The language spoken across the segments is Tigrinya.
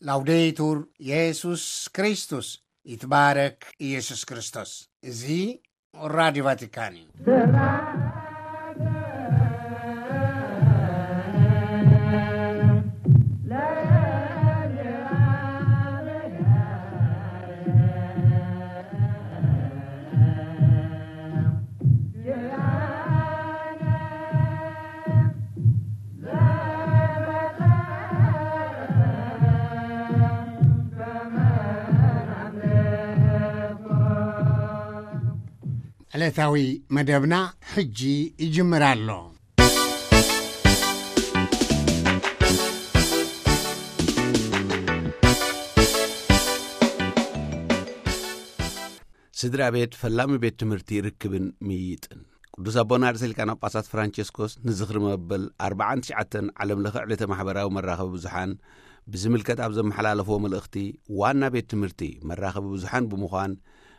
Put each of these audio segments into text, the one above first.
ላውዴቱር የሱስ ክርስቶስ፣ ይትባረክ ኢየሱስ ክርስቶስ። እዚ ራዲዮ ቫቲካን እዩ። ዕለታዊ መደብና ሕጂ ይጅምር ኣሎ። ስድራ ቤት ፈላሚ ቤት ትምህርቲ ርክብን ምይይጥን። ቅዱስ ኣቦና ርእሰ ሊቃነ ጳጳሳት ፍራንቸስኮስ ንዝኽሪ መበል ኣርባዓን ትሽዓተን ዓለም ለኸ ዕለተ ማሕበራዊ መራኸቢ ብዙሓን ብዝምልከት ኣብ ዘመሓላለፍዎ መልእኽቲ፣ ዋና ቤት ትምህርቲ መራኸቢ ብዙሓን ብምዃን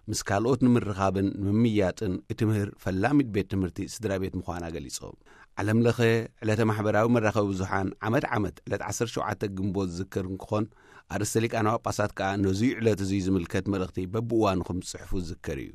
ምስ ካልኦት ንምርኻብን ንምምያጥን እትምህር ፈላሚት ቤት ትምህርቲ ስድራ ቤት ምዃና ገሊጾም። ዓለም ለኸ ዕለተ ማሕበራዊ መራኸቢ ብዙሓን ዓመት ዓመት ዕለት ዓሰርተ ሸውዓተ ግንቦት ዝዝከር እንክኾን፣ ኣርእስተ ሊቃነ ጳጳሳት ከኣ ነዙይ ዕለት እዙይ ዝምልከት መልእኽቲ በብእዋኑ ከም ዝጽሕፉ ዝዝከር እዩ።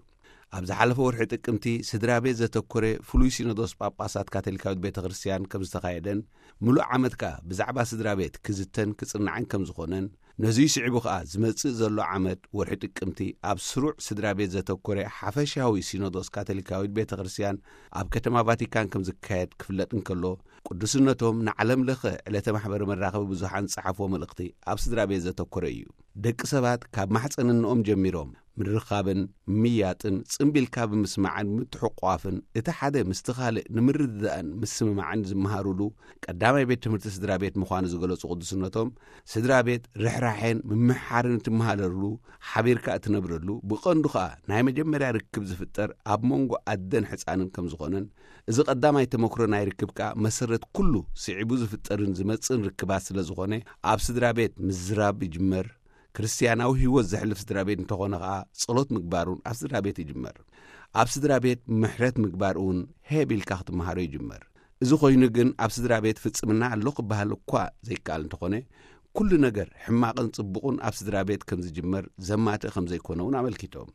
ኣብ ዝሓለፈ ወርሒ ጥቅምቲ ስድራ ቤት ዘተኮረ ፍሉይ ሲኖዶስ ጳጳሳት ካቶሊካዊት ቤተ ክርስቲያን ከም ዝተኻየደን፣ ምሉእ ዓመት ከኣ ብዛዕባ ስድራ ቤት ክዝተን ክጽናዕን ከም ዝኾነን፣ ነዙይ ስዒቡ ከኣ ዝመጽእ ዘሎ ዓመት ወርሒ ጥቅምቲ ኣብ ስሩዕ ስድራ ቤት ዘተኮረ ሓፈሻዊ ሲኖዶስ ካቶሊካዊት ቤተ ክርስቲያን ኣብ ከተማ ቫቲካን ከም ዝካየድ ክፍለጥ እንከሎ፣ ቅዱስነቶም ንዓለም ለኸ ዕለተ ማሕበረ መራኸቢ ብዙሓን ዝጸሓፍዎ መልእኽቲ ኣብ ስድራ ቤት ዘተኮረ እዩ። ደቂ ሰባት ካብ ማሕፀንንኦም ጀሚሮም ምርኻብን ምያጥን፣ ጽምቢልካ ብምስማዕን ምትሕቋፍን፣ እቲ ሓደ ምስቲ ካልእ ንምርድዳእን ምስምማዕን ዝመሃሩሉ ቀዳማይ ቤት ትምህርቲ ስድራ ቤት ምዃኑ ዝገለጹ ቅዱስነቶም፣ ስድራ ቤት ርሕራሐን ምምሕሓርን እትመሃለሉ፣ ሓቢርካ እትነብረሉ፣ ብቐንዱ ኸኣ ናይ መጀመርያ ርክብ ዝፍጠር ኣብ መንጎ ኣደን ሕፃንን ከም ዝኾነን፣ እዚ ቀዳማይ ተመክሮ ናይ ርክብ ከኣ መሰረት ኩሉ ስዒቡ ዝፍጠርን ዝመጽእን ርክባት ስለ ዝኾነ፣ ኣብ ስድራ ቤት ምዝራብ ይጅመር። ክርስትያናዊ ህይወት ዘሕልፍ ስድራ ቤት እንተኾነ ከኣ፣ ጸሎት ምግባሩን ኣብ ስድራ ቤት ይጅመር። ኣብ ስድራ ቤት ምሕረት ምግባር እውን ሄብ ኢልካ ክትመሃሮ ይጅመር። እዚ ኮይኑ ግን፣ ኣብ ስድራ ቤት ፍጽምና ኣሎ ክበሃል እኳ ዘይከኣል እንተኾነ፣ ኩሉ ነገር ሕማቕን ጽቡቕን ኣብ ስድራ ቤት ከም ዝጅመር ዘማትእ ከም ዘይኮነ እውን ኣመልኪቶም።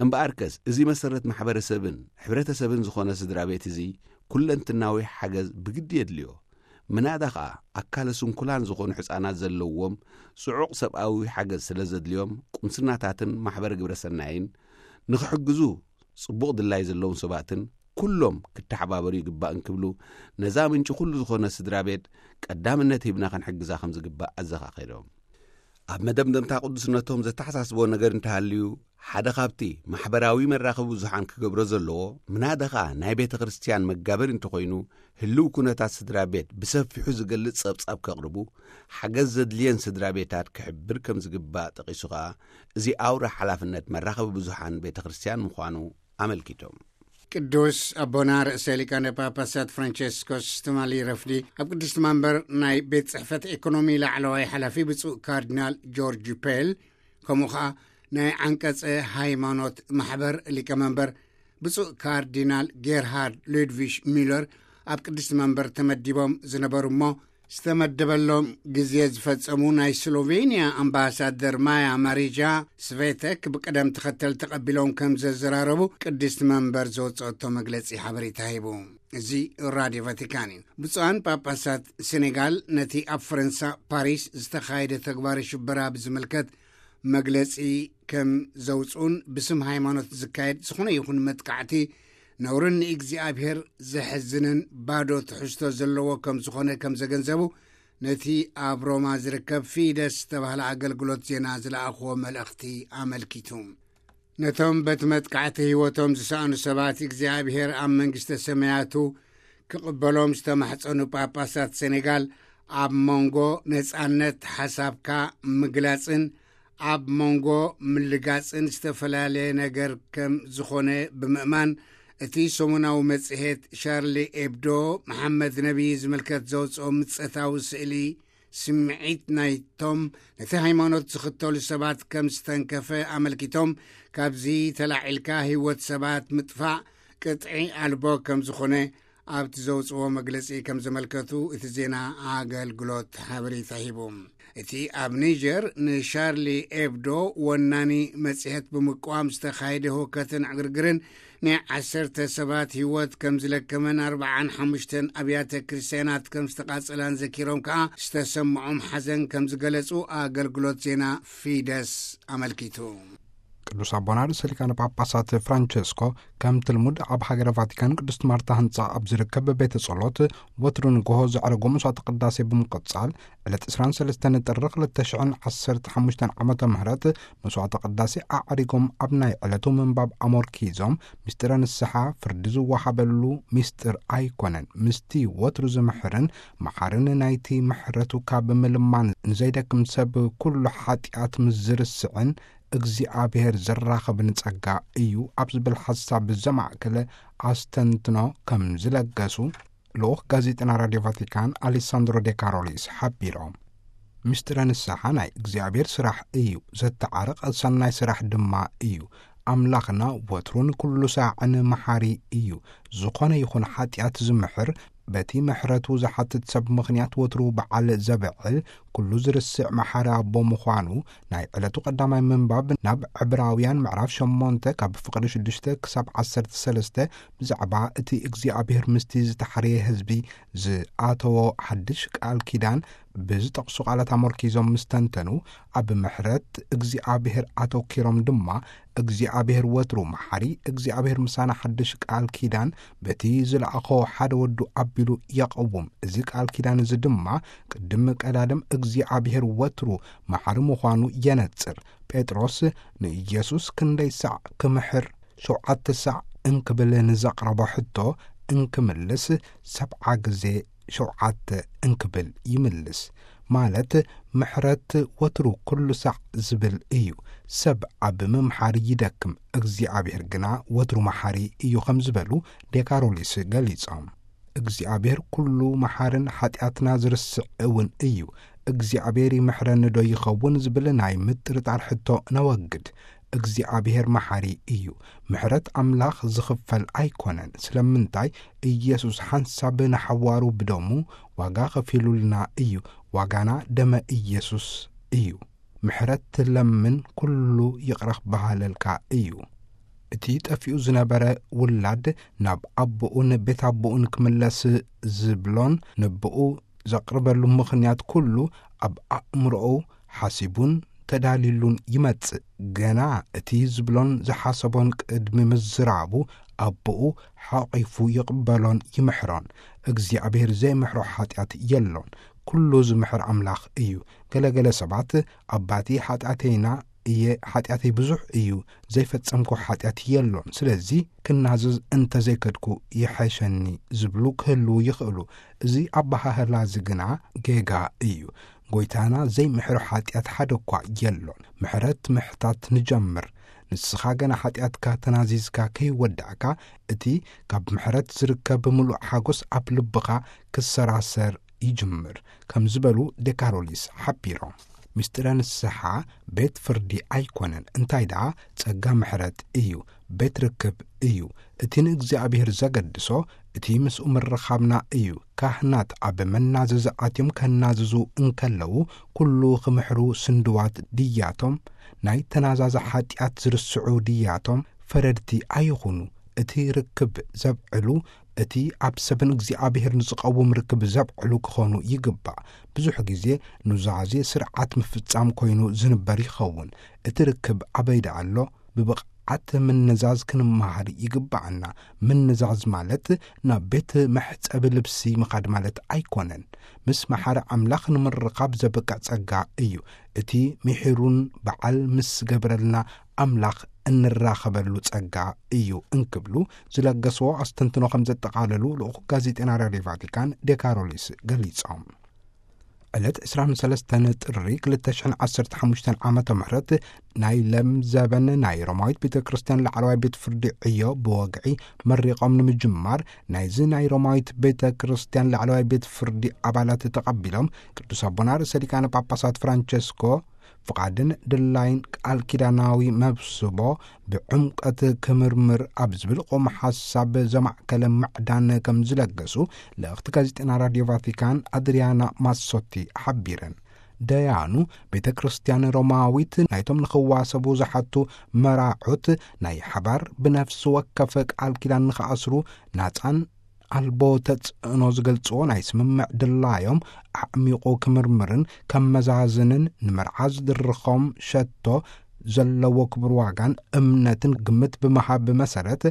እምበኣርከስ፣ እዚ መሰረት ማሕበረሰብን ሕብረተሰብን ዝኾነ ስድራ ቤት እዚ፣ ኩለንትናዊ ሓገዝ ብግዲ የድልዮ። ምናዳ ኸኣ፣ ኣካለ ስንኩላን ዝኾኑ ሕፃናት ዘለውዎም ጽዑቕ ሰብኣዊ ሓገዝ ስለ ዘድልዮም፣ ቁምስናታትን ማሕበረ ግብረ ሰናይን ንኽሕግዙ፣ ጽቡቕ ድላይ ዘለዎም ሰባትን ኩሎም ክተሓባበሩ ይግባእ እንክብሉ፣ ነዛ ምንጪ ኩሉ ዝኾነ ስድራ ቤት ቀዳምነት ሂብና ክንሕግዛ ከም ዝግባእ ኣዘኻኺሮም። ኣብ መደምደምታ ቅዱስነቶም ዘተሓሳስቦ ነገር እንተሃልዩ፣ ሓደ ካብቲ ማሕበራዊ መራኸቢ ብዙሓን ክገብሮ ዘለዎ፣ ምናዳ ኸኣ ናይ ቤተ ክርስቲያን መጋበሪ እንተኾይኑ፣ ህልው ኩነታት ስድራ ቤት ብሰፊሑ ዝገልጽ ጸብጻብ ከቕርቡ፣ ሓገዝ ዘድልየን ስድራ ቤታት ክሕብር ከም ዝግባእ ጠቒሱ ኸኣ፣ እዚ ኣውራ ሓላፍነት መራኸቢ ብዙሓን ቤተ ክርስቲያን ምዃኑ ኣመልኪቶም። ቅዱስ ኣቦና ርእሰ ሊቃነ ጳጳሳት ፍራንቸስኮስ ትማሊ ረፍዲ ኣብ ቅድስቲ መንበር ናይ ቤት ጽሕፈት ኤኮኖሚ ላዕለዋይ ሓላፊ ብፁዕ ካርዲናል ጆርጅ ፔል፣ ከምኡ ኸኣ ናይ ዓንቀጸ ሃይማኖት ማሕበር ሊቀመንበር ብፁዕ ካርዲናል ጌርሃርድ ሉድቪሽ ሚለር ኣብ ቅድስቲ መንበር ተመዲቦም ዝነበሩ እሞ፣ ዝተመደበሎም ግዜ ዝፈጸሙ ናይ ስሎቬንያ ኣምባሳደር ማያ ማሪጃ ስቬተክ ብቅደም ተኸተል ተቐቢሎም ከም ዘዘራረቡ ቅድስቲ መንበር ዘወጸቶ መግለጺ ሓበሬታ ሂቡ። እዚ ራድዮ ቫቲካን እዩ። ብፁዓን ጳጳሳት ሴኔጋል ነቲ ኣብ ፈረንሳ ፓሪስ ዝተኻየደ ተግባር ሽበራ ብዝምልከት መግለጺ ከም ዘውፅኡን፣ ብስም ሃይማኖት ዝካየድ ዝኾነ ይኹን መጥቃዕቲ ነውርን ንእግዚኣብሔር ዘሕዝንን ባዶ ትሕዝቶ ዘለዎ ከም ዝኾነ ከም ዘገንዘቡ፣ ነቲ ኣብ ሮማ ዝርከብ ፊደስ ዝተባህለ ኣገልግሎት ዜና ዝለኣኽዎ መልእኽቲ ኣመልኪቱ። ነቶም በቲ መጥቃዕቲ ህይወቶም ዝሰኣኑ ሰባት እግዚኣብሔር ኣብ መንግስተ ሰማያቱ ክቕበሎም ዝተማሕጸኑ ጳጳሳት ሴኔጋል፣ ኣብ መንጎ ነጻነት ሓሳብካ ምግላጽን ኣብ መንጎ ምልጋጽን ዝተፈላለየ ነገር ከም ዝኾነ ብምእማን፣ እቲ ሰሙናዊ መጽሔት ሻርሊ ኤብዶ፣ መሓመድ ነቢ ዝምልከት ዘውጽኦ ምጸታዊ ስእሊ፣ ስምዒት ናይቶም ነቲ ሃይማኖት ዝኽተሉ ሰባት ከም ዝተንከፈ ኣመልኪቶም፣ ካብዚ ተላዒልካ ህይወት ሰባት ምጥፋእ ቅጥዒ ኣልቦ ከም ዝኾነ ኣብቲ ዘውጽዎ መግለጺ ከም ዘመልከቱ እቲ ዜና ኣገልግሎት ሓበሬታ ሂቡ። እቲ ኣብ ኒጀር ንሻርሊ ኤብዶ ወናኒ መጽሔት ብምቅዋም ዝተኻየደ ህውከትን ዕግርግርን ናይ ዓሰርተ ሰባት ህይወት ከም ዝለከመን ኣርብዓን ሓሙሽተን ኣብያተ ክርስትያናት ከም ዝተቓጸላን ዘኪሮም ከኣ ዝተሰምዖም ሓዘን ከም ዝገለጹ ኣገልግሎት ዜና ፊደስ ኣመልኪቱ። ቅዱስ ኣቦና ርእሰ ሊቃነ ጳጳሳት ፍራንቸስኮ ከምቲ ልሙድ ኣብ ሃገረ ቫቲካን ቅድስት ማርታ ህንጻ ኣብ ዝርከብ ቤተ ጸሎት ወትሩ ንግሆ ዘዕረጎ መስዋዕተ ቅዳሴ ብምቕጻል ዕለት ዕስራን ሰለስተን ጥሪ ክልተ ሽሕን ዓሰርተ ሓሙሽተን ዓመተ ምህረት መስዋዕተ ቅዳሴ ኣዕሪጎም ኣብ ናይ ዕለቱ ምንባብ ኣሞርኪዞም፣ ምስጢረ ንስሓ ፍርዲ ዝወሃበሉ ምስጢር ኣይኮነን። ምስቲ ወትሩ ዝምሕርን መሓርን ናይቲ ምሕረቱ ካብ ምልማን ንዘይደክም ሰብ ኩሉ ሓጢኣት ምስ ዝርስዕን እግዚኣብሔር ዘራኽብን ጸጋ እዩ ኣብ ዝብል ሓሳብ ዘማእከለ ኣስተንትኖ ከም ዝለገሱ ልኡኽ ጋዜጠና ራድዮ ቫቲካን ኣሌሳንድሮ ዴ ካሮሊስ ሓቢሮም። ምስጢረ ንስሓ ናይ እግዚኣብሔር ስራሕ እዩ፣ ዘተዓርቕ ሰናይ ስራሕ ድማ እዩ። ኣምላኽና ወትሩን ኩሉ ሳዕን መሓሪ እዩ። ዝኾነ ይኹን ሓጢኣት ዝምሕር፣ በቲ ምሕረቱ ዝሓትት ሰብ ምኽንያት ወትሩ በዓል ዘብዕል፣ ኩሉ ዝርስዕ መሓሪ ኣቦ ምዃኑ ናይ ዕለቱ ቀዳማይ ምንባብ ናብ ዕብራውያን ምዕራፍ ሸሞንተ ካብ ፍቕዲ ሽዱሽተ ክሳብ ዓሰርተ ሰለስተ ብዛዕባ እቲ እግዚኣብሔር ምስቲ ዝተሓርየ ህዝቢ ዝኣተዎ ሓድሽ ቃል ኪዳን ብዝጠቕሱ ቃላት ኣመርኪዞም ምስ ተንተኑ፣ ኣብ ምሕረት እግዚኣብሔር ኣተኪሮም ድማ፣ እግዚኣብሔር ወትሩ መሓሪ፣ እግዚኣብሔር ምሳና ሓድሽ ቃል ኪዳን በቲ ዝለኣኾ ሓደ ወዱ ኣቢሉ የቐውም። እዚ ቃል ኪዳን እዚ ድማ ቅድም ቀዳድም እግዚኣብሔር ወትሩ መሓሪ ምዃኑ የነጽር። ጴጥሮስ ንኢየሱስ ክንደይ ሳዕ ክምሕር ሸውዓተ ሳዕ እንክብል ንዘቕረቦ ሕቶ እንክምልስ፣ ሰብዓ ግዜ ሸውዓተ እንክብል ይምልስ። ማለት ምሕረት ወትሩ ኩሉ ሳዕ ዝብል እዩ። ሰብ ኣብ ምምሓር ይደክም፣ እግዚኣብሔር ግና ወትሩ መሓሪ እዩ ከም ዝበሉ ዴካሮሊስ ገሊጾም። እግዚኣብሔር ኩሉ መሓርን ሓጢኣትና ዝርስዕ እውን እዩ። እግዚኣብሔር ይምሕረኒ ዶ ይኸውን ዝብል ናይ ምጥርጣር ሕቶ ነወግድ። እግዚኣብሔር መሓሪ እዩ። ምሕረት ኣምላኽ ዝኽፈል ኣይኮነን። ስለምንታይ? ኢየሱስ ሓንሳብ ንሓዋሩ ብደሙ ዋጋ ከፊሉልና እዩ። ዋጋና ደመ ኢየሱስ እዩ። ምሕረት ትለምን ኩሉ ይቕረ ክበሃለልካ እዩ። እቲ ጠፊኡ ዝነበረ ውላድ ናብ ኣቦኡን ቤት ኣቦኡን ክምለስ ዝብሎን ንብኡ ዘቕርበሉ ምኽንያት ኩሉ ኣብ ኣእምሮኡ ሓሲቡን ተዳሊሉን ይመጽእ። ገና እቲ ዝብሎን ዝሓሰቦን ቅድሚ ምዝራቡ ኣቦኡ ሓቒፉ ይቕበሎን ይምሕሮን። እግዚኣብሔር ዘይምሕሮ ሓጢኣት የሎን። ኩሉ ዝምሕር ኣምላኽ እዩ። ገለገለ ሰባት ኣባቲ ሓጢኣተይና እየ፣ ሓጢኣተይ ብዙሕ እዩ፣ ዘይፈጸምኩ ሓጢኣት የሎን፣ ስለዚ ክናዘዝ እንተዘይከድኩ ይሐሸኒ ዝብሉ ክህልዉ ይኽእሉ። እዚ ኣበሃህላ እዚ ግና ጌጋ እዩ። ጎይታና ዘይምሕሮ ሓጢኣት ሓደ እኳ የሎን። ምሕረት ምሕታት ንጀምር። ንስኻ ገና ሓጢኣትካ ተናዚዝካ ከይወዳእካ፣ እቲ ካብ ምሕረት ዝርከብ ምሉእ ሓጎስ ኣብ ልብኻ ክሰራሰር ይጅምር፣ ከም ዝበሉ ዴካሮሊስ ሓቢሮም። ምስጢረ ንስሓ ቤት ፍርዲ ኣይኮነን፣ እንታይ ደኣ ጸጋ ምሕረት እዩ፣ ቤት ርክብ እዩ። እቲ ንእግዚኣብሔር ዘገድሶ፣ እቲ ምስኡ ምርኻብና እዩ። ካህናት ኣብ መናዘዚ ኣትዮም ከናዝዙ እንከለዉ፣ ኩሉ ክምሕሩ ስንድዋት ድያቶም? ናይ ተናዛዚ ሓጢኣት ዝርስዑ ድያቶም? ፈረድቲ ኣይኹኑ። እቲ ርክብ ዘብዕሉ፣ እቲ ኣብ ሰብን እግዚኣብሔር ንዝቐውም ርክብ ዘብዕሉ ክኾኑ ይግባእ። ብዙሕ ግዜ ኑዛዜ ስርዓት ምፍጻም ኮይኑ ዝንበር ይኸውን። እቲ ርክብ ኣበይ ደኣ ኣሎ? ብብቕዓት ምንዛዝ ክንመሃር ይግባኣና። ምንዛዝ ማለት ናብ ቤት መሕጸቢ ልብሲ ምኻድ ማለት ኣይኮነን። ምስ መሓሪ ኣምላኽ ንምርኻብ ዘብቅዕ ጸጋ እዩ። እቲ ምሒሩን በዓል ምስ ገብረልና ኣምላኽ እንራኸበሉ ጸጋ እዩ እንክብሉ ዝለገስዎ ኣስተንትኖ ከም ዘጠቓለሉ ልኡኽ ጋዜጠና ራድዮ ቫቲካን ዴካሮሊስ ገሊጾም። ዕለት ዕስራን ሰለስተን ጥሪ ክልተ ሽሕን ዓሰርተ ሓሙሽተን ዓመተ ምህረት ናይ ለም ዘበን ናይ ሮማዊት ቤተ ክርስቲያን ላዕለዋይ ቤት ፍርዲ ዕዮ ብወግዒ መሪቖም ንምጅማር ናይዚ ናይ ሮማዊት ቤተ ክርስቲያን ላዕለዋይ ቤት ፍርዲ ኣባላት ተቐቢሎም ቅዱስ ኣቦና ርእሰ ሊቃነ ጳጳሳት ፍራንቸስኮ ፍቓድን ድላይን ቃል ኪዳናዊ መብስቦ ብዕምቀት ክምርምር ኣብ ዝብል ቆም ሓሳብ ዘማዕከለ ማዕዳን ከም ዝለገሱ ልእኽቲ ጋዜጠና ራድዮ ቫቲካን ኣድሪያና ማሶቲ ሓቢረን። ደያኑ ቤተ ክርስቲያን ሮማዊት ናይቶም ንኽዋሰቡ ዝሓቱ መራዑት ናይ ሓባር ብነፍሲ ወከፍ ቃል ኪዳን ንኽኣስሩ ናጻን ኣልቦ ተጽዕኖ ዝገልጽዎ ናይ ስምምዕ ድላዮም ኣዕሚቑ ክምርምርን ከመዛዝንን፣ ንመርዓ ዝድርኾም ሸቶ ዘለዎ ክብር ዋጋን እምነትን ግምት ብምሃብ መሰረት፣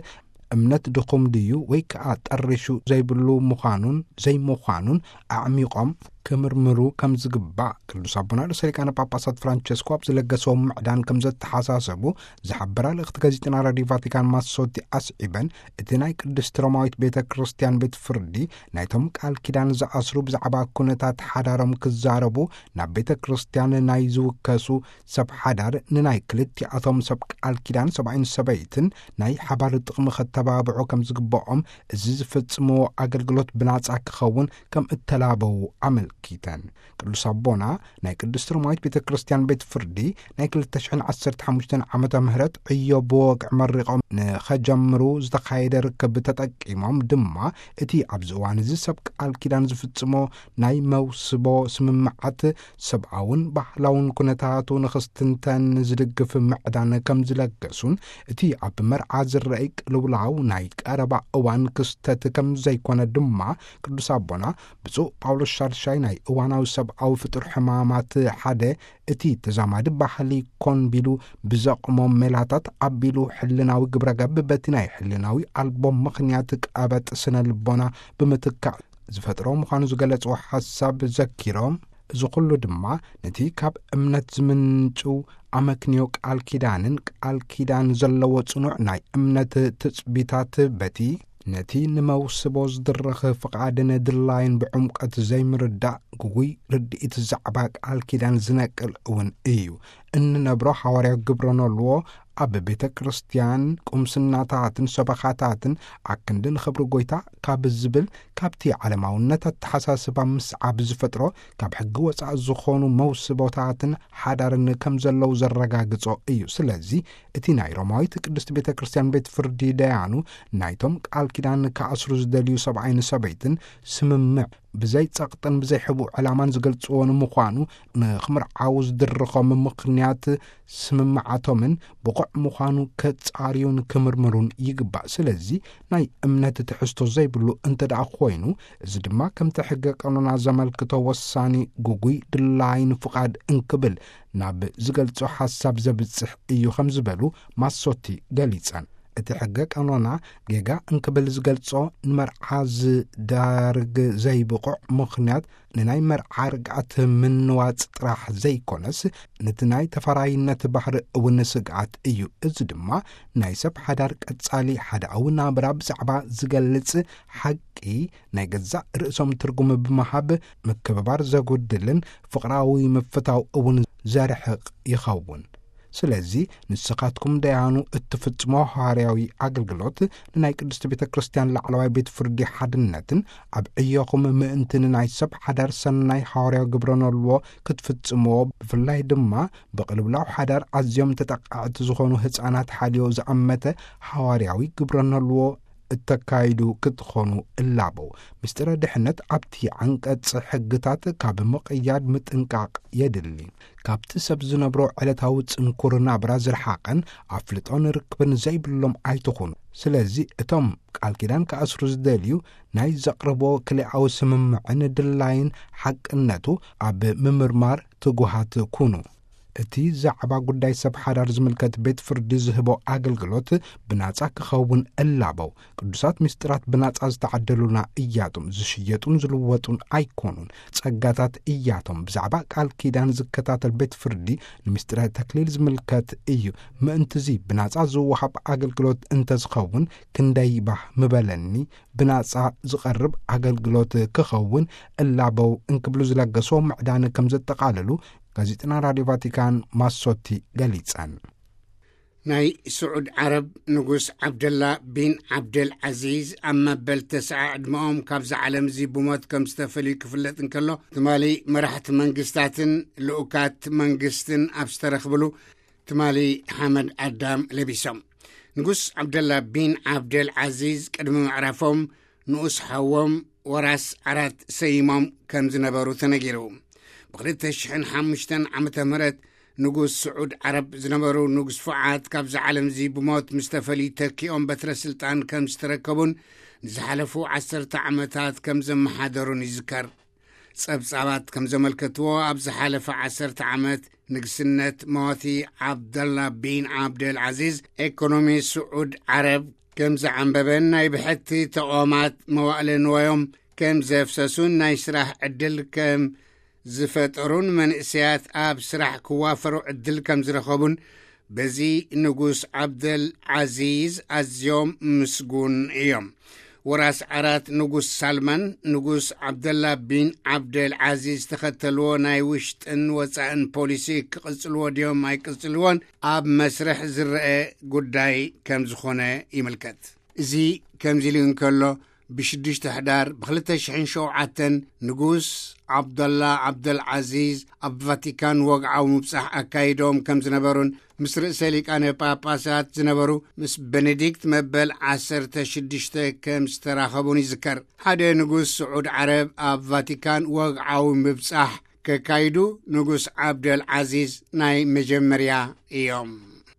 እምነት ድኹም ድዩ ወይ ከኣ ጠሪሹ ዘይብሉ ምዃኑን ዘይምዃኑን ኣዕሚቖም ክምርምሩ ከም ዝግባእ ቅዱስ ኣቦና ርእሰ ሊቃነ ጳጳሳት ፍራንቸስኮ ኣብ ዝለገሰዎም ምዕዳን ከም ዘተሓሳሰቡ ዝሓበራ ልእኽቲ ጋዜጠና ራዲዮ ቫቲካን ማሶቲ ኣስዒበን፣ እቲ ናይ ቅድስቲ ሮማዊት ቤተ ክርስቲያን ቤት ፍርዲ ናይቶም ቃል ኪዳን ዝኣስሩ ብዛዕባ ኩነታት ሓዳሮም ክዛረቡ ናብ ቤተ ክርስቲያን ናይ ዝውከሱ ሰብ ሓዳር ንናይ ክልቲኣቶም ሰብ ቃል ኪዳን ሰብኣይን ሰበይትን ናይ ሓባር ጥቕሚ ከተባብዑ ከም ዝግብኦም፣ እዚ ዝፍጽምዎ ኣገልግሎት ብናጻ ክኸውን ከም እተላበዉ ኣመልኪተን። ቅዱስ ኣቦና ናይ ቅድስቲ ሮማዊት ቤተ ክርስቲያን ቤት ፍርዲ ናይ ክልተ ሽሕን ዓሰርተ ሓሙሽተን ዓመተ ምህረት ዕዮ ብወግዒ መሪቖም ንኸጀምሩ ዝተኻየደ ርክብ ተጠቂሞም ድማ፣ እቲ ኣብዚ እዋን እዚ ሰብ ቃል ኪዳን ዝፍጽሞ ናይ መውስቦ ስምምዓት ሰብኣውን ባህላውን ኩነታቱ ንኽስትንተን ዝድግፍ ምዕዳን ከም ዝለገሱን፣ እቲ ኣብ መርዓ ዝረኣይ ቅልውላው ናይ ቀረባ እዋን ክስተት ከም ዘይኮነ ድማ ቅዱስ ኣቦና ብፁዕ ጳውሎስ ሻድሻይ ናይ እዋናዊ ሰብኣዊ ፍጡር ሕማማት ሓደ፣ እቲ ተዛማዲ ባህሊ ኮን ቢሉ ብዘቕሞም ሜላታት ኣቢሉ ሕልናዊ ግብረ ገብ በቲ ናይ ሕልናዊ ኣልቦ ምኽንያት ቀበጥ ስነ ልቦና ብምትካእ ዝፈጥሮ ምዃኑ ዝገለጽዎ ሓሳብ ዘኪሮም፣ እዚ ኩሉ ድማ ነቲ ካብ እምነት ዝምንጩ ኣመክንዮ ቃል ኪዳንን ቃል ኪዳን ዘለዎ ጽኑዕ ናይ እምነት ትጽቢታት በቲ ነቲ ንመውስቦ ዝድርኽ ፍቓድን ድላይን ብዕምቀት ዘይምርዳእ ግጉይ ርድኢት ዛዕባ ቃል ኪዳን ዝነቅል እውን እዩ። እንነብሮ ሓዋርያዊ ግብረ ኖልዎ ኣብ ቤተ ክርስቲያን ቁምስናታትን ሰበኻታትን ኣክንዲ ንኽብሪ ጐይታ ካብ ዝብል ካብቲ ዓለማውነት ኣተሓሳስባ ምስዓብ ዝፈጥሮ ካብ ሕጊ ወጻኢ ዝኾኑ መውስቦታትን ሓዳርን ከም ዘለዉ ዘረጋግጾ እዩ። ስለዚ እቲ ናይ ሮማዊት ቅድስቲ ቤተ ክርስቲያን ቤት ፍርዲ ደያኑ ናይቶም ቃል ኪዳን ክኣስሩ ዝደልዩ ሰብኣይን ሰበይትን ስምምዕ ብዘይ ጸቕጥን ብዘይ ሕቡእ ዕላማን ዝገልጽዎ ንምዃኑ፣ ንኽምርዓዉ ዝድርኾም ምኽንያት ስምምዓቶምን ብቑዕ ምዃኑ ከጻርዩን ክምርምሩን ይግባእ። ስለዚ ናይ እምነት ትሕዝቶ ዘይብሉ እንተ ደኣ ኮይኑ፣ እዚ ድማ ከምቲ ሕገ ቀኖና ዘመልክቶ ወሳኒ፣ ግጉይ፣ ድላይን ፍቓድ እንክብል ናብ ዝገልጾ ሓሳብ ዘብጽሕ እዩ ከም ዝበሉ ማሶቲ ገሊጸን። እቲ ሕገ ቀኖና ጌጋ እንክብል ዝገልጾ ንመርዓ ዝዳርግ ዘይብቑዕ ምኽንያት ንናይ መርዓ ርግኣት ምንዋጽ ጥራሕ ዘይኮነስ፣ ነቲ ናይ ተፈራይነት ባህሪ እውን ስግኣት እዩ። እዚ ድማ ናይ ሰብ ሓዳር ቀጻሊ ሓዳኣዊ ናብራ ብዛዕባ ዝገልጽ ሓቂ ናይ ገዛእ ርእሶም ትርጉም ብምሃብ ምክብባር ዘጉድልን ፍቕራዊ ምፍታው እውን ዘርሕቕ ይኸውን። ስለዚ ንስኻትኩም ደያኑ እትፍጽሞ ሃዋርያዊ ኣገልግሎት ንናይ ቅድስቲ ቤተ ክርስቲያን ላዕለዋይ ቤት ፍርዲ ሓድነትን ኣብ ዕዮኹም ምእንቲ ንናይ ሰብ ሓዳር ሰናይ ሃዋርያዊ ግብረ ኖልዎ ክትፍጽምዎ፣ ብፍላይ ድማ ብቕልውላው ሓዳር ኣዝዮም ተጠቃዕቲ ዝኾኑ ህጻናት ሓልዮ ዝኣመተ ሃዋርያዊ ግብረ ኖልዎ እተካይዱ ክትኾኑ እላበው። ምስጢረ ድሕነት ኣብቲ ዓንቀጽ ሕግታት ካብ ምቕያድ ምጥንቃቕ የድሊ። ካብቲ ሰብ ዝነብሮ ዕለታዊ ጽንኩር ናብራ ዝረሓቐን ኣፍልጦን ርክብን ዘይብሎም ኣይትኹኑ። ስለዚ እቶም ቃል ኪዳን ክኣስሩ ዝደልዩ ናይ ዘቕርቦ ክልኣዊ ስምምዕን ድላይን ሓቅነቱ ኣብ ምምርማር ትጉሃት ኩኑ። እቲ ዛዕባ ጉዳይ ሰብ ሓዳር ዝምልከት ቤት ፍርዲ ዝህቦ ኣገልግሎት ብናጻ ክኸውን እላበው። ቅዱሳት ምስጢራት ብናጻ ዝተዓደሉና እያቶም፣ ዝሽየጡን ዝልወጡን ኣይኮኑን። ጸጋታት እያቶም። ብዛዕባ ቃል ኪዳን ዝከታተል ቤት ፍርዲ ንምስጢረ ተክሊል ዝምልከት እዩ። ምእንትዚ ብናጻ ዝወሃብ ኣገልግሎት እንተዝኸውን ክንደይ ባህ ምበለኒ። ብናጻ ዝቐርብ ኣገልግሎት ክኸውን እላበው እንክብሉ ዝለገሶ ምዕዳን ከም ዘጠቓለሉ ጋዜጠና ራድዮ ቫቲካን ማሶቲ ገሊጸን። ናይ ስዑድ ዓረብ ንጉስ ዓብደላ ቢን ዓብደል ዓዚዝ ኣብ መበል ተስዓ ዕድመኦም ካብዛ ዓለም እዚ ብሞት ከም ዝተፈልዩ ክፍለጥ እንከሎ፣ ትማሊ መራሕቲ መንግስታትን ልኡካት መንግስትን ኣብ ዝተረኽብሉ ትማሊ ሓመድ ኣዳም ለቢሶም። ንጉስ ዓብደላ ቢን ዓብደል ዓዚዝ ቅድሚ ምዕራፎም ንኡስ ሓዎም ወራስ ዓራት ሰይሞም ከም ዝነበሩ ተነጊሩ። ብ2005 ዓመተ ምህረት ንጉስ ስዑድ ዓረብ ዝነበሩ ንጉስ ፉዓድ ካብዚ ዓለም እዚ ብሞት ምስ ተፈልዩ ተኪኦም በትረ ስልጣን ከም ዝተረከቡን ንዝሓለፉ ዓሰርተ ዓመታት ከም ዘመሓደሩን ይዝከር። ጸብጻባት ከም ዘመልከትዎ ኣብ ዝሓለፈ ዓሰርተ ዓመት ንግስነት ሞቲ ዓብደላ ቢን ዓብደል ዓዚዝ ኤኮኖሚ ስዑድ ዓረብ ከም ዘዓንበበን ናይ ብሕቲ ተቋማት መዋእለ ንዋዮም ከም ዘፍሰሱን ናይ ስራሕ ዕድል ከም ዝፈጠሩን መንእሰያት ኣብ ስራሕ ክዋፈሩ ዕድል ከም ዝረኸቡን በዚ ንጉስ ዓብደል ዓዚዝ ኣዝዮም ምስጉን እዮም። ወራስ ዓራት ንጉስ ሳልማን ንጉስ ዓብደላ ቢን ዓብደል ዓዚዝ ዝተኸተልዎ ናይ ውሽጥን ወጻእን ፖሊሲ ክቕጽልዎ ድዮም ኣይቅጽልዎን ኣብ መስርሕ ዝረአ ጉዳይ ከም ዝኾነ ይምልከት። እዚ ከምዚ ኢሉ እንከሎ፣ ብ6 ሕዳር ብ2007 ንጉስ ዓብደላ ዓብደል ዓዚዝ ኣብ ቫቲካን ወግዓዊ ምብጻሕ ኣካይዶም ከም ዝነበሩን ምስ ርእሰ ሊቃነ ጳጳሳት ዝነበሩ ምስ ቤኔዲክት መበል 16 ከም ዝተራኸቡን ይዝከር። ሓደ ንጉስ ስዑድ ዓረብ ኣብ ቫቲካን ወግዓዊ ምብጻሕ ከካይዱ ንጉስ ዓብደል ዓዚዝ ናይ መጀመርያ እዮም።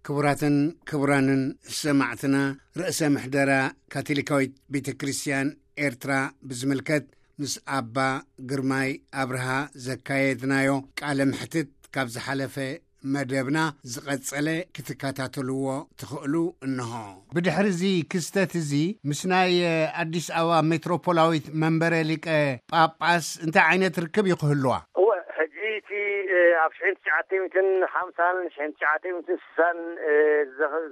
ክቡራትን ክቡራንን ሰማዕትና፣ ርእሰ ምሕደራ ካቶሊካዊት ቤተ ክርስቲያን ኤርትራ ብዝምልከት ምስ ኣባ ግርማይ ኣብርሃ ዘካየድናዮ ቃለ ምሕትት ካብ ዝሓለፈ መደብና ዝቐጸለ ክትከታተልዎ ትኽእሉ እንሆ። ብድሕሪ እዚ ክስተት እዚ ምስ ናይ ኣዲስ ኣበባ ሜትሮፖላዊት መንበረ ሊቀ ጳጳስ እንታይ ዓይነት ርክብ እዩ ክህልዋ? እወ፣ ሕጂ እቲ ኣብ ሽሕን ትሽዓተ ሚእትን ሓምሳን ሽሕን ትሽዓተ ሚእትን ስሳን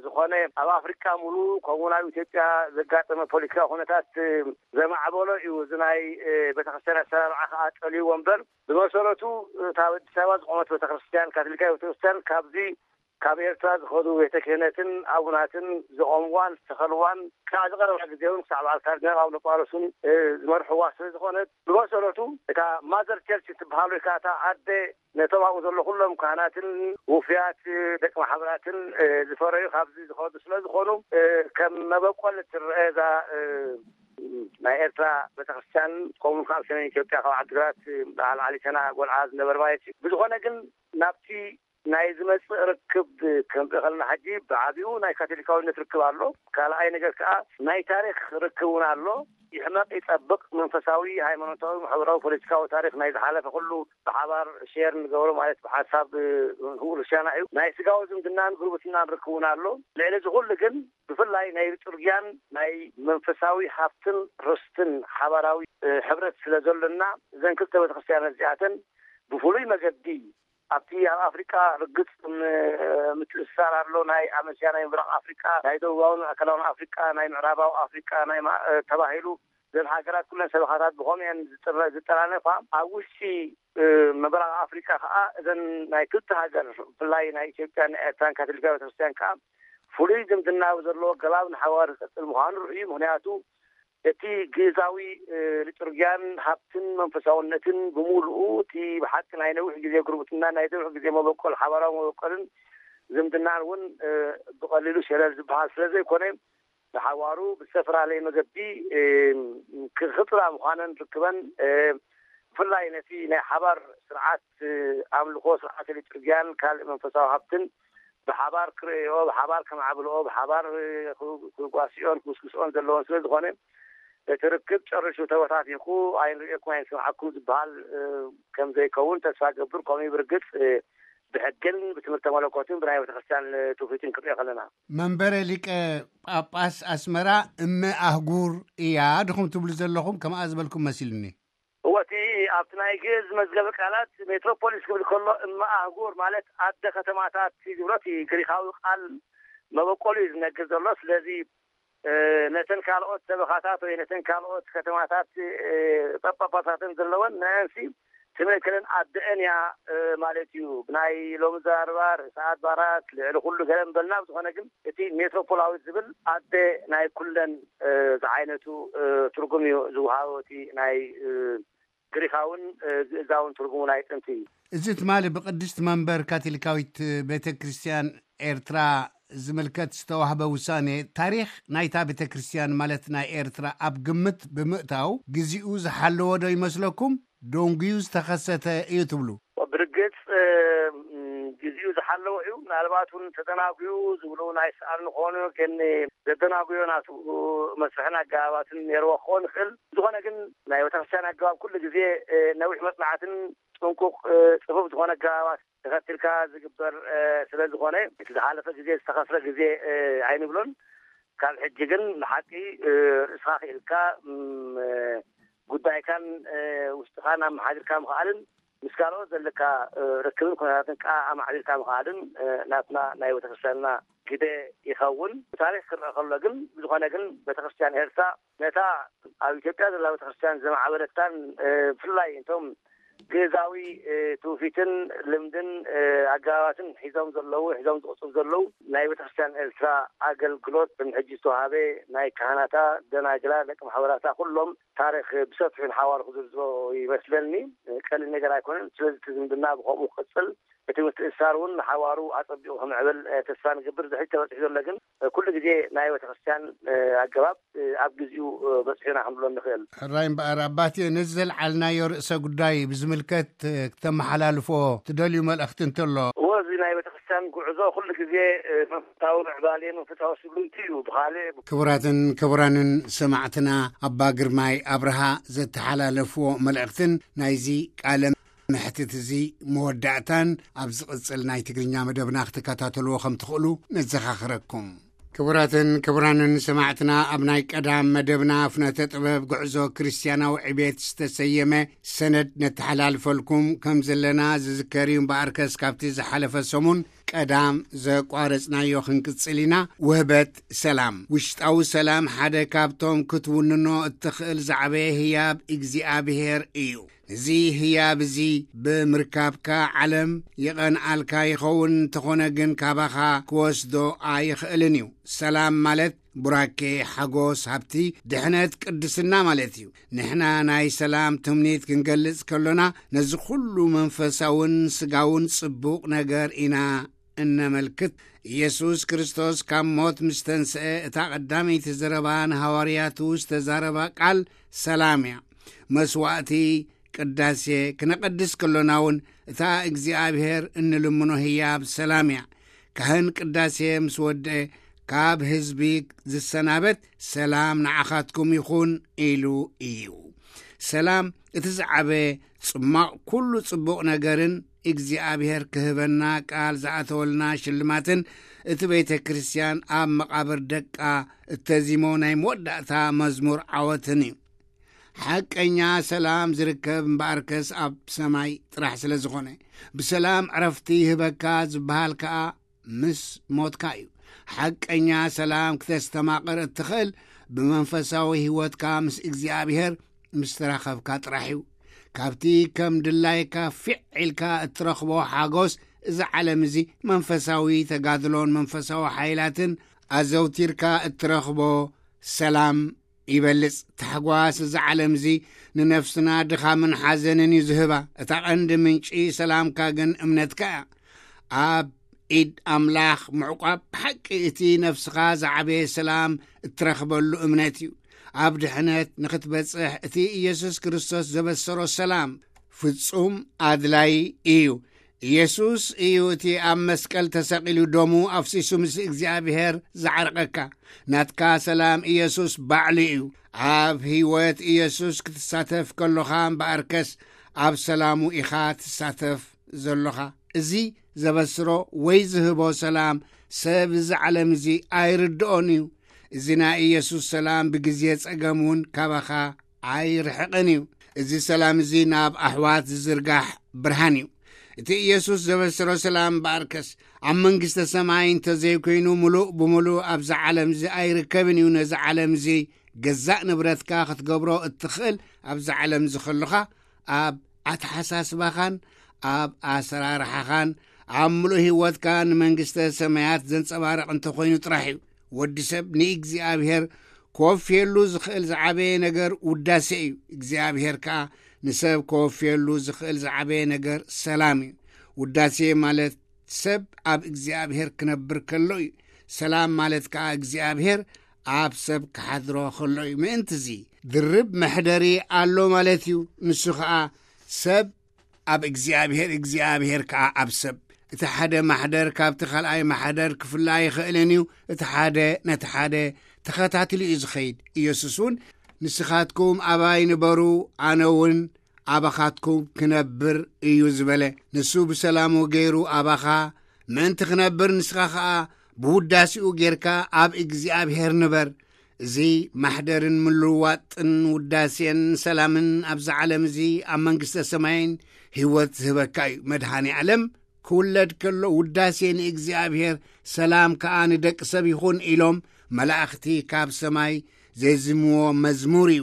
ዝኾነ ኣብ ኣፍሪካ ሙሉ ከምኡ ኣብ ኢትዮጵያ ዘጋጠመ ፖለቲካዊ ኩነታት ዘማዕበሎ እዩ። እዚ ናይ ቤተክርስትያን ኣሰራርዓ ከዓ ጠልይዎ እምበር ብመሰረቱ እታ ኣዲስ ኣበባ ዝቆመት ቤተክርስትያን ካቶሊካዊ ቤተክርስትያን ካብዚ ካብ ኤርትራ ዝኸዱ ቤተ ክህነትን ኣቡናትን ዘቆምዋን ዝተኸልዋን ክሳዕ ዝቐረባ ግዜ እውን ክሳዕ በዓል ካርዲናል ኣቡነ ጳውሎስን ዝመርሕዋ ስለ ዝኾነት ብመሰረቱ እታ ማዘር ቸርች ትበሃል ወይ ከዓ እታ ኣደ ነቶም ኣብኡ ዘሎ ኩሎም ካህናትን ውፍያት ደቂ ማሕበራትን ዝፈረዩ ካብዚ ዝኸዱ ስለ ዝኾኑ ከም መበቆል እትረአ እዛ ናይ ኤርትራ ቤተክርስትያን ከምኡ ካብ ሰሜን ኢትዮጵያ ካብ ዓዲግራት በዓል ዓሊተና ጎልዓ ዝነበረ ማለት እዩ። ብዝኾነ ግን ናብቲ ናይ ዝመጽእ ርክብ ከምጽእ ከለና ሕጂ ብዓቢኡ ናይ ካቶሊካዊነት ርክብ ኣሎ። ካልኣይ ነገር ከዓ ናይ ታሪክ ርክብ እውን ኣሎ። ይሕመቅ ይጸብቅ መንፈሳዊ፣ ሃይማኖታዊ፣ ማሕበራዊ፣ ፖለቲካዊ ታሪክ ናይ ዝሓለፈ ኩሉ ብሓባር ሼር ንገብሮ ማለት ብሓሳብ ህውር ሻና እዩ። ናይ ስጋዊ ዝምድናን ጉርብትናን ርክብ እውን ኣሎ። ልዕሊ እዚ ኩሉ ግን ብፍላይ ናይ ሊጡርጊያን ናይ መንፈሳዊ ሃብትን ርስትን ሓባራዊ ሕብረት ስለ ዘሎና እዘን ክልተ ቤተክርስትያን እዚኣተን ብፍሉይ መገዲ ኣብቲ ኣብ ኣፍሪቃ ርግጽ ምትእስሳር ኣሎ። ናይ ኣመስያ ናይ ምብራቕ ኣፍሪቃ፣ ናይ ደቡባዊ ኣካላዊ ኣፍሪቃ፣ ናይ ምዕራባዊ ኣፍሪቃ ናይ ተባሂሉ ዘን ሃገራት ኩለን ሰበኻታት ብኸምኡ እየን ዝጠራነፋ። ኣብ ውሽጢ ምብራቕ ኣፍሪቃ ከዓ እዘን ናይ ክልተ ሃገር ብፍላይ ናይ ኢትዮጵያን ኤርትራን ካቶሊካዊ ቤተክርስትያን ከዓ ፍሉይ ዝምድና ዘለዎ ገባብ ንሓዋር ዝቀፅል ምዃኑ ርዑዩ። ምክንያቱ እቲ ግእዛዊ ሊጡርጊያን ሃብትን መንፈሳውነትን ብምሉኡ እቲ ብሓቂ ናይ ነዊሕ ግዜ ጉርብትና ናይ ነዊሕ ግዜ መበቆል ሓባራዊ መበቆልን ዝምድናን እውን ብቐሊሉ ሸለል ዝበሃል ስለ ዘይኮነ ብሓዋሩ ብዝተፈላለየ መገዲ ክኽጥላ ምዃነን ርክበን ብፍላይ ነቲ ናይ ሓባር ስርዓት ኣምልኮ ስርዓተ ሊጡርጊያን ካልእ መንፈሳዊ ሃብትን ብሓባር ክርእዮ ብሓባር ከማዕብልኦ ብሓባር ክጓስዮን ክውስክስኦን ዘለዎን ስለ ዝኾነ እቲ ርክብ ጨርሹ ተበታቲኹ ኣይንርእየኩም ኣይንስምዓኩም ዝበሃል ከም ዘይከውን ተስፋ ገብር። ከምኡ ብርግፅ ብሕግን ብትምህርተ መለኮትን ብናይ ቤተክርስትያን ትውፊትን ክርእዮ ከለና መንበረ ሊቀ ጳጳስ ኣስመራ እመ ኣህጉር እያ ድኹም ትብሉ ዘለኹም ከምኣ ዝበልኩም መሲልኒ። እወ እቲ ኣብቲ ናይ ግእዝ መዝገበ ቃላት ሜትሮፖሊስ ክብል ከሎ እመ ኣህጉር ማለት ኣደ ከተማታት ዝብሎ እቲ ግሪካዊ ቃል መበቆሉ እዩ ዝነግር ዘሎ። ስለዚ ነተን ካልኦት ሰበኻታት ወይ ነተን ካልኦት ከተማታት ጳጳሳትን ዘለወን ንአንሲ ትምእክልን ኣደአን እያ ማለት እዩ። ብናይ ሎሚ ዘራርባ ርእሰ ኣድባራት ልዕሊ ኩሉ ገለ እንበልና ብዝኾነ ግን እቲ ሜትሮፖላዊት ዝብል ኣደ ናይ ኩለን ዝዓይነቱ ትርጉም እዩ ዝወሃቦ እቲ ናይ ግሪኻውን ግእዛውን ትርጉሙ ናይ ጥንቲ እዩ። እዚ ትማሊ ብቅድስት መንበር ካቶሊካዊት ቤተ ክርስቲያን ኤርትራ ዝምልከት ዝተዋህበ ውሳኔ ታሪኽ ናይታ ቤተ ክርስቲያን ማለት ናይ ኤርትራ ኣብ ግምት ብምእታው ግዜኡ ዝሓለወ ዶ ይመስለኩም? ደንጉዩ ዝተኸሰተ እዩ ትብሉ? ብርግጽ ግዜኡ ዝሓለወ እዩ። ምናልባት እውን ተደናጉዩ ዝብሉ ናይ ሰኣል ንኾኑ ግን ዘደናጉዮ ናቱ መስርሕን ኣገባባትን ነርዎ ክኾን ይኽእል። ዝኾነ ግን ናይ ቤተክርስትያን ኣገባብ ኩሉ ግዜ ነዊሕ መጽናዕትን ጥንቁቕ ጽፉፍ ዝኾነ ኣገባባት ተኸትልካ ዝግበር ስለ ዝኾነ እቲ ዝሓለፈ ግዜ ዝተኸስረ ግዜ ኣይንብሎን። ካብ ሕጂ ግን ብሓቂ ርእስኻ ክኢልካ ጉዳይካን ውሽጥኻን ኣመሓዲርካ ምኽኣልን ምስ ካልኦት ዘለካ ርክብን ኩነታትን ከዓ ኣማዕቢልካ ምኽኣልን ናትና ናይ ቤተክርስትያንና ግደ ይኸውን። ታሪክ ክረአ ከሎ ግን ብዝኾነ ግን ቤተክርስትያን ኤርትራ ነታ ኣብ ኢትዮጵያ ዘላ ቤተክርስትያን ዘማዕበለታን ብፍላይ እንቶም ግእዛዊ ትውፊትን ልምድን ኣገባባትን ሒዞም ዘለዉ ሒዞም ዝቕፅሉ ዘለዉ ናይ ቤተክርስትያን ኤርትራ ኣገልግሎት ሕጂ ዝተዋሃበ ናይ ካህናታ ደናግላ ደቂ ማሕበራታ ኩሎም ታሪክ ብሰፊሑ ንሓዋሩ ክዝርዝሮ ይመስለኒ። ቀሊል ነገር ኣይኮነን። ስለዚ እቲ ዝምድና ብከምኡ ክቅፅል እቲ ምትእሳር እውን ንሓዋሩ ኣፀቢቑ ክምዕብል ተስፋ ንገብር። ዝሕጂ ተበፂሑ ዘሎ ግን ኩሉ ግዜ ናይ ቤተክርስትያን ኣገባብ ኣብ ግዜኡ በፂሑና ክንብሎ ንኽእል። ሕራይ እምበኣር ኣባቴ ነዚ ዘልዓልናዮ ርእሰ ጉዳይ ብዝምልከት ክተመሓላልፎ ትደልዩ መልእኽቲ እንተሎ? እዎ እዚ ናይ ቤተክርስትያን ጉዕዞ ኩሉ ግዜ መንፈሳዊ ምዕባሌ መንፈሳዊ ስጉምቲ እዩ። ብኻልእ ክቡራትን ክቡራንን ሰማዕትና ኣባ ግርማይ ኣብርሃ ዘተሓላለፍዎ መልእኽትን ናይዚ ቃለ መሕትት እዚ መወዳእታን ኣብ ዝቕጽል ናይ ትግርኛ መደብና ክትከታተልዎ ከም ትኽእሉ ነዘኻኽረኩም። ክቡራትን ክቡራንን ሰማዕትና ኣብ ናይ ቀዳም መደብና ፍነተ ጥበብ ጉዕዞ ክርስትያናዊ ዕቤት ዝተሰየመ ሰነድ ነተሓላልፈልኩም ከም ዘለና ዝዝከር እዩ። እምበኣርከስ ካብቲ ዝሓለፈ ሰሙን ቀዳም ዘቋረጽናዮ ክንቅጽል ኢና። ውህበት ሰላም፣ ውሽጣዊ ሰላም ሓደ ካብቶም ክትውንኖ እትኽእል ዝዓበየ ህያብ እግዚኣብሔር እዩ። እዚ ህያብ እዚ ብምርካብካ ዓለም ይቐንኣልካ ይኸውን፣ እንተኾነ ግን ካባኻ ክወስዶ ኣይኽእልን እዩ። ሰላም ማለት ቡራኬ፣ ሓጎስ፣ ሃብቲ፣ ድሕነት፣ ቅድስና ማለት እዩ። ንሕና ናይ ሰላም ትምኒት ክንገልጽ ከሎና ነዚ ኩሉ መንፈሳውን ስጋውን ጽቡቕ ነገር ኢና እነመልክት። ኢየሱስ ክርስቶስ ካብ ሞት ምስ ተንስአ እታ ቀዳመይቲ ዘረባ ንሃዋርያቱ ዝተዛረባ ቃል ሰላም እያ። መስዋእቲ ቅዳሴ ክነቐድስ ከሎና እውን እታ እግዚኣብሔር እንልምኖ ህያብ ሰላም እያ። ካህን ቅዳሴ ምስ ወድአ ካብ ህዝቢ ዝሰናበት ሰላም ንዓኻትኩም ይኹን ኢሉ እዩ። ሰላም እቲ ዝዓበ ጽማቕ ኩሉ ጽቡቕ ነገርን እግዚኣብሔር ክህበና ቃል ዝኣተወልና ሽልማትን እቲ ቤተ ክርስቲያን ኣብ መቓብር ደቃ እተዚሞ ናይ መወዳእታ መዝሙር ዓወትን እዩ። ሓቀኛ ሰላም ዝርከብ እምበኣርከስ ኣብ ሰማይ ጥራሕ ስለ ዝኾነ፣ ብሰላም ዕረፍቲ ይህበካ ዝበሃል ከኣ ምስ ሞትካ እዩ። ሓቀኛ ሰላም ክተስተማቕር እትኽእል ብመንፈሳዊ ህይወትካ ምስ እግዚኣብሔር ምስ ተራኸብካ ጥራሕ እዩ። ካብቲ ከም ድላይካ ፊዕ ኢልካ እትረኽቦ ሓጎስ እዚ ዓለም እዚ መንፈሳዊ ተጋድሎን መንፈሳዊ ሓይላትን ኣዘውቲርካ እትረኽቦ ሰላም ይበልጽ። ታሕጓስ እዚ ዓለም እዚ ንነፍስና ድኻምን ሓዘንን እዩ ዝህባ። እታ ቀንዲ ምንጪ ሰላምካ ግን እምነትካ እያ። ኣብ ኢድ ኣምላኽ ምዕቋብ ብሓቂ እቲ ነፍስኻ ዝዓበየ ሰላም እትረኽበሉ እምነት እዩ። ኣብ ድሕነት ንኽትበጽሕ እቲ ኢየሱስ ክርስቶስ ዘበሰሮ ሰላም ፍጹም ኣድላይ እዩ። ኢየሱስ እዩ እቲ ኣብ መስቀል ተሰቒሉ ደሙ ኣፍሲሱ ምስ እግዚኣብሔር ዝዓርቐካ። ናትካ ሰላም ኢየሱስ ባዕሉ እዩ። ኣብ ህይወት ኢየሱስ ክትሳተፍ ከሎኻ እምበኣርከስ ኣብ ሰላሙ ኢኻ ትሳተፍ ዘሎኻ። እዚ ዘበስሮ ወይ ዝህቦ ሰላም ሰብ እዚ ዓለም እዚ ኣይርድኦን እዩ። እዚ ናይ ኢየሱስ ሰላም ብግዜ ጸገም እውን ካባኻ ኣይርሕቕን እዩ። እዚ ሰላም እዚ ናብ ኣሕዋት ዝዝርጋሕ ብርሃን እዩ። እቲ ኢየሱስ ዘበሰሮ ሰላም እምበኣርከስ ኣብ መንግስተ ሰማይ እንተዘይኮይኑ ምሉእ ብምሉእ ኣብዚ ዓለም እዚ ኣይርከብን እዩ። ነዚ ዓለም እዚ ገዛእ ንብረትካ ክትገብሮ እትኽእል ኣብዚ ዓለም እዚ ከሎኻ ኣብ ኣተሓሳስባኻን ኣብ ኣሰራርሓኻን ኣብ ምሉእ ህይወትካ ንመንግስተ ሰማያት ዘንጸባርቕ እንተኾይኑ ጥራሕ እዩ። ወዲ ሰብ ንእግዚኣብሔር ክወፍየሉ ዝኽእል ዝዓበየ ነገር ውዳሴ እዩ። እግዚኣብሔር ከኣ ንሰብ ክወፍየሉ ዝኽእል ዝዓበየ ነገር ሰላም እዩ። ውዳሴ ማለት ሰብ ኣብ እግዚኣብሔር ክነብር ከሎ እዩ። ሰላም ማለት ከኣ እግዚኣብሔር ኣብ ሰብ ክሓድሮ ከሎ እዩ። ምእንቲ እዚ ድርብ መሕደሪ ኣሎ ማለት እዩ። ንሱ ኸኣ ሰብ ኣብ እግዚኣብሔር እግዚኣብሔር ከኣ ኣብ ሰብ። እቲ ሓደ ማሕደር ካብቲ ካልኣይ ማሕደር ክፍላ ኣይኽእልን እዩ። እቲ ሓደ ነቲ ሓደ ተኸታትሉ እዩ ዝኸይድ። ኢየሱስ እውን ንስኻትኩም ኣባይ ንበሩ፣ ኣነ እውን ኣባኻትኩም ክነብር እዩ ዝበለ። ንሱ ብሰላሙ ገይሩ ኣባኻ ምእንቲ ክነብር፣ ንስኻ ኸኣ ብውዳሴኡ ጌርካ ኣብ እግዚኣብሔር ንበር። እዚ ማሕደርን ምልዋጥን ውዳሴን ሰላምን ኣብዚ ዓለም እዚ ኣብ መንግስተ ሰማይን ህይወት ዝህበካ እዩ። መድኃኔ ዓለም ክውለድ ከሎ ውዳሴ ንእግዚኣብሔር፣ ሰላም ከኣ ንደቂ ሰብ ይኹን ኢሎም መላእኽቲ ካብ ሰማይ ዘዝምዎ መዝሙር እዩ።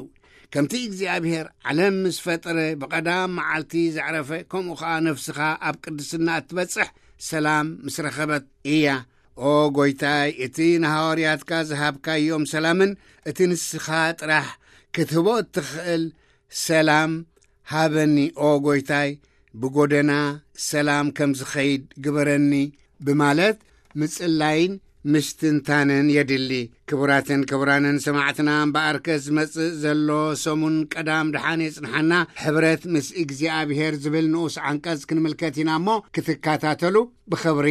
ከምቲ እግዚኣብሔር ዓለም ምስ ፈጠረ ብቐዳም መዓልቲ ዘዕረፈ፣ ከምኡ ኸኣ ነፍስኻ ኣብ ቅድስና እትበጽሕ ሰላም ምስ ረኸበት እያ። ኦ ጎይታይ፣ እቲ ንሃዋርያትካ ዝሃብካዮም ሰላምን እቲ ንስኻ ጥራሕ ክትህቦ እትኽእል ሰላም ሃበኒ። ኦ ጎይታይ፣ ብጎደና ሰላም ከም ዝኸይድ ግበረኒ ብማለት ምጽላይን ምስትንታንን የድሊ። ክቡራትን ክቡራንን ሰማዕትና፣ እምበኣርከ ዝመጽእ ዘሎ ሰሙን ቀዳም ድሓን የጽንሓና። ሕብረት ምስ እግዚኣብሔር ዝብል ንኡስ ዓንቀጽ ክንምልከት ኢና እሞ፣ ክትከታተሉ ብኽብሪ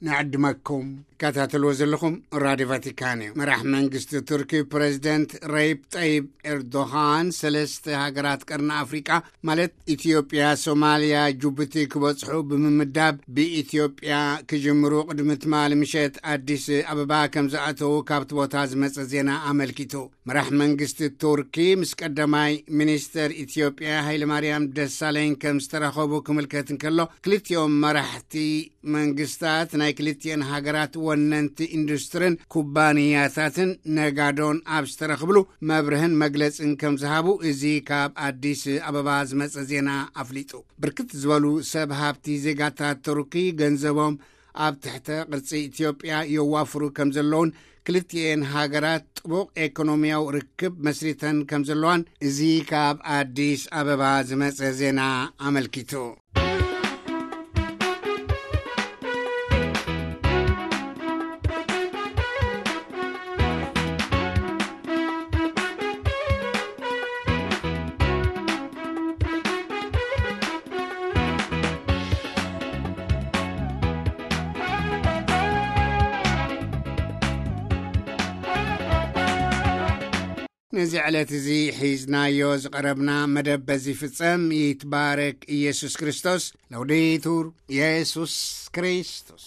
ንዕድመኩም። ትከታተልዎ ዘለኹም ራድዮ ቫቲካን እዩ። መራሕ መንግስቲ ቱርኪ ፕሬዚደንት ረይብ ጠይብ ኤርዶሃን፣ ሰለስተ ሃገራት ቀርኒ ኣፍሪቃ ማለት ኢትዮጵያ፣ ሶማልያ፣ ጅቡቲ ክበጽሑ ብምምዳብ፣ ብኢትዮጵያ ክጅምሩ ቅድሚ ትማሊ ምሸት ኣዲስ ኣበባ ከም ዝኣተዉ ካብቲ ቦታ ዝመጸ ዜና ኣመልኪቱ። መራሕ መንግስቲ ቱርኪ ምስ ቀዳማይ ሚኒስተር ኢትዮጵያ ሃይለማርያም ደሳለኝ ከም ዝተራኸቡ ክምልከት እንከሎ፣ ክልቲኦም መራሕቲ መንግስታት ናይ ክልቲኤን ሃገራት ወነንቲ ኢንዱስትርን ኩባንያታትን ነጋዶን ኣብ ዝተረኽብሉ መብርህን መግለጽን ከም ዝሃቡ እዚ ካብ ኣዲስ ኣበባ ዝመጸ ዜና ኣፍሊጡ። ብርክት ዝበሉ ሰብ ሃብቲ ዜጋታት ቱርኪ ገንዘቦም ኣብ ትሕተ ቅርጺ ኢትዮጵያ የዋፍሩ ከም ዘለውን፣ ክልቲኤን ሃገራት ጥቡቕ ኤኮኖሚያዊ ርክብ መስሪተን ከም ዘለዋን እዚ ካብ ኣዲስ ኣበባ ዝመጸ ዜና ኣመልኪቱ። ነዚ ዕለት እዚ ሒዝናዮ ዝቐረብና መደብ በዚ ፍጸም። ይትባረክ ኢየሱስ ክርስቶስ። ለውዴቱር ኢየሱስ ክርስቶስ።